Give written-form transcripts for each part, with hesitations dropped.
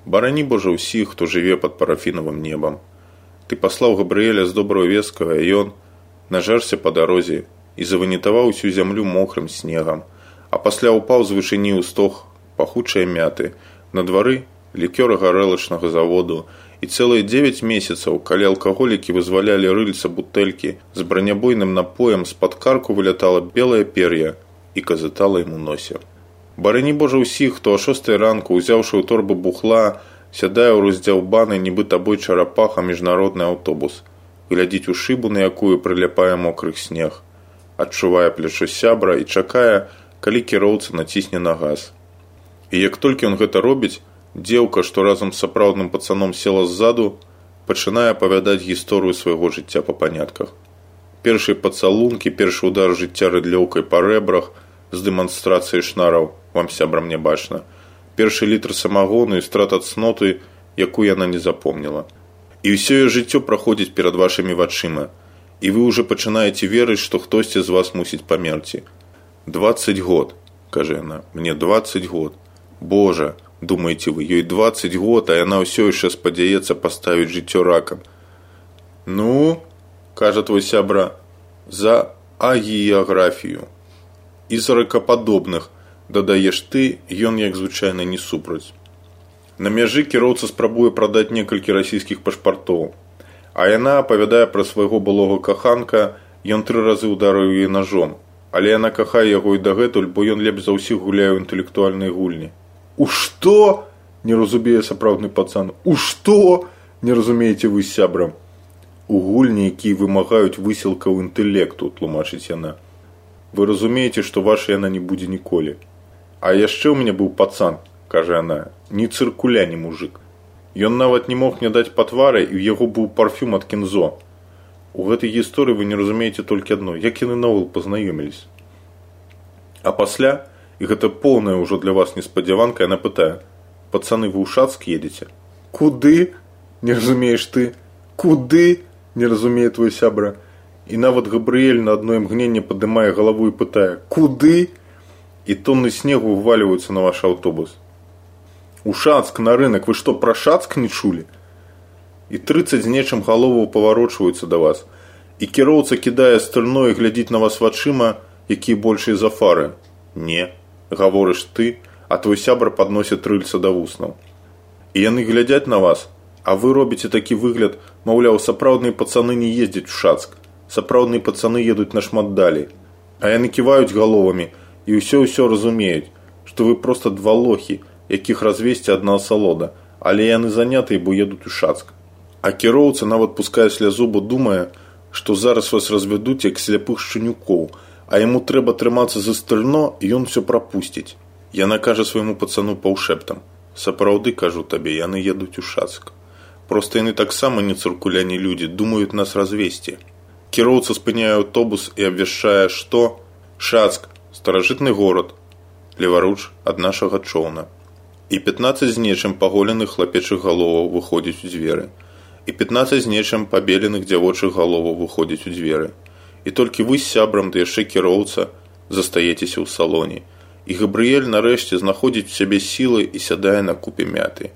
Барані Божа ўсіх, хто жыве пад парафінавым небам. Ты паслаў Габрыэля з добраю вескаю, а ён нажэрся па дарозе і заванітаваў усю зямлю мокрым снегам, а пасля ўпаў з вышыні ў стог пахучыя мяты. На двары лікёра гарэлачнага заводу, і цэлыя 9 месяцаў, калі алкаголікі вызвалялі рыльца бутэлькі з бранябойным напоем, з-пад карку вылятала белае пер'я і казытала ім у носе. Барані Божа ўсіх, хто о 6 ранку, узяўшы ў торбу бухла, сядае ў роздзяўбаны, нібы табой чарапаха міжнародны аўтобус, глядзіць у шыбу, на якую прыляпае мокрых снег, адчувае плячо сябра і чакае, калі кіроўца націсне на газ. І як толькі ён гэта робіць, дзеўка, што разам з сапраўдным пацаном села ззаду, пачынае апавядаць гісторыю свайго жыцця па панятках. Першыя пацалункі, першы удар жыцця рыдлёўкай па рэбрах з дэманстрацыяй шнараў, вам, сябрам, не бачна. Першы літр самагону і страт ад цноты, якую яна не запомніла. І ўсё яе жыццё праходзіць перад вашымі вачыма, і вы ўжо пачынаеце верыць, што хтосьці з вас мусіць памерці. 20 год, кажа яна, мне 20 год. Божа, думаеце вы, ёй 20 год, а яна ўсё яшчэ спадзяецца паставіць жыццё ракам. Ну, кажа твой сябра, за агіяграфію. І за ракападобных, дадаеш ты, ён як звычайна не супраць. На мяжы кіроўца спрабуе прадаць некалькі расійскіх пашпартоў, а яна апавядае пра свайго былога каханка, ён 3 разы ударыў яе ножом, але яна кахае яго і дагэтуль, бо ён лепш за ўсіх гуляе ў інтэлектуальнай гульні. У што? Не разумее сапраўдны пацан. У што? Не разумееце вы з сябрам. У гульні, якія вымагаюць высілкаў інтэлекту, тлумачыць яна. Вы разумееце, што ваша яна не будзе ніколі. А яшчэ ў мяне быў пацан, кажа яна, ні цыркуля, ні мужик. Ён нават не мог мне даць па твары, і ў яго быў парфюм ад Кензо. У гэтай гісторыі вы не разумееце толькі адно, як яны наогул пазнаёміліся. А пасля, і гэта поўная ўжо для вас неспадзяванка, яна пытае: пацаны, вы ў Шацк едзеце? Куды? Не разумееш ты? Куды? Не разумее твой сябра. І нават Габрыэль на адно імгненне падымае галаву і пытае: куды? І тонны снегу вывальваюцца на ваш аўтобус. У Шацк, на рынок, вы што, пра Шацк не чулі? І 30 з нечым галоваў паварочваюцца да вас. І кіроўца кідае стрыльно і глядзіць на вас вачыма, якія большыя за фары. Не, гаворыш ты, а твой сябра падносіць рыльца да вуснаў. І яны глядзяць на вас, а вы робіце такі выгляд, маўляў, сапраўдныя пацаны не ездзяць у Шацк, сапраўдныя пацаны едуць нашмат далей. А яны ківаюць галовамі і ўсё разумеюць, што вы проста 2 лохі, якіх развесці адна асалода, але яны занятыя, бо едуць у Шацк. А кіроўца нават пускае слязу, бо думае, што зараз вас развядуць як сляпых шчанюкоў, а яму трэба трымацца за стрыльно, і ён усё прапусціць. Яна кажа свайму пацану паўшэптам: сапраўды, кажу табе, яны едуць у Шацк. Проста яны таксама не цыркуляні людзі, думаюць нас развесці. Кіроўца спыняе аўтобус і абвяшчае, што Шацк – старажытны горад, леваруч ад нашага чоўна. І 15 з нечым паголеных хлапечых галоваў выходзяць у дзверы. І 15 з нечым пабеленых дзявочых галоваў выходзяць у дзверы. І толькі вы з сябрам, да яшчэ кіроўца, застаецеся ў салоне. І Габрыэль нарэшце знаходзіць у сябе сілы і сядае на купе мяты.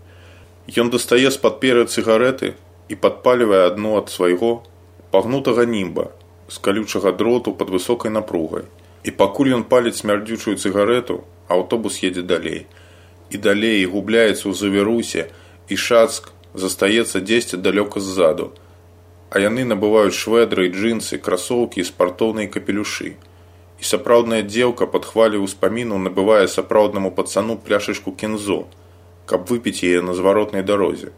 Ён дастае з-пад пер'я цыгарэты і падпальвае адну ад свайго пагнутага німба з калючага дроту пад высокай напругай. І пакуль ён паліць смярдзючую цыгарету, аўтобус едзе далей. І далей, і губляецца ў завірусе, і Шацк застаецца дзесьці далёка ззаду. А яны набываюць швэдры, джинсы, красоўкі і спартоўныя капелюшы. І сапраўдная дзеўка пад хвалю ўспаміну набывае сапраўднаму пацану пляшачку Кензо, каб выпіць яе на зваротнай дарозе.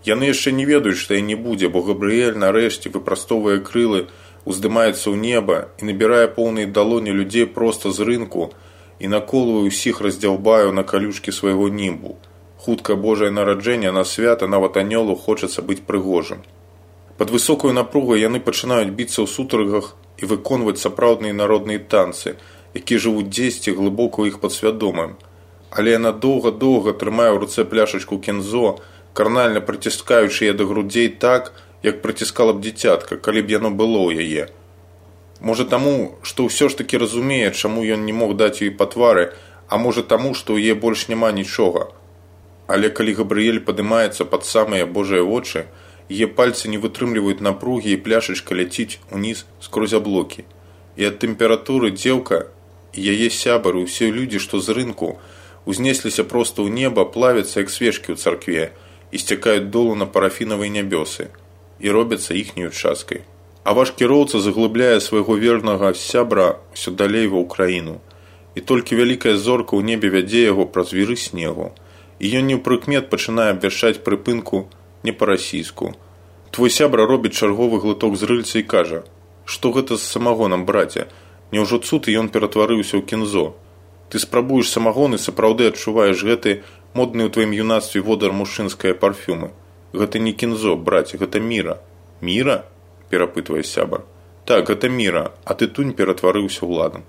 Яны яшчэ не ведаюць, што яе не будзе, бо Габрыэль нарэшце выпрастоввае крылы, уздымаецца ў неба і набірае поўныя далоні людзей проста з рынку і наколвае ўсіх раздзяўбаю на калючкі свайго німбу. Хутка Божае нараджэнне на свята нават анёлу хочацца быць прыгожым. Пад высокую напругу яны пачынаюць біцца ў сутаргах і выконваць сапраўдныя народныя танцы, якія жывуць дзесьці глыбока ў іх падсвядомым. Але яна доўга-доўга трымае ў руцэ пляшачку Кензо, карнальна прыціскаючы яе да грудзей так, як прыціскала б дзіцятка, калі б яно было ў яе. Можа таму, што ўсё ж такі разумее, чаму ён не мог даць ёй па твары, а можа таму, што ў яе больш няма нічога. Але калі Габрыэль падымаецца пад самыя Божыя вочы, яе пальцы не вытрымліваюць напругі і пляшачка ляціць уніз скрозь аблокі. І ад тэмпературы дзеўка і яе сябары, усе людзі, што з рынку, узнесліся проста ў неба, плавяцца як свечкі ў царкве і сцякаюць долу на парафінавыя нябёсы і робяцца іхняю часткай. А ваш кіроўца заглыбляе свайго вернага сябра ўсё далей ва ўкраіну. І толькі вялікая зорка ў небе вядзе яго праз віры снегу. І ён неўпрыкмет пачынае абвяшчаць прыпынку не па-расійску. Твой сябра робіць чарговы глыток з рыльца і кажа: «Што гэта з самагонам, браце? Няўжо цуд і ён ператварыўся ў кінзо? Ты спрабуеш самагон і сапраўды адчуваеш гэты модны ў тваім юнацтве водар мужчынскае парфюмы. Гэта не кінзо, браце, гэта міра». «Міра?» – перапытвае сябар. «Так, гэта міра, а ты тунь ператварыўся ў ладан».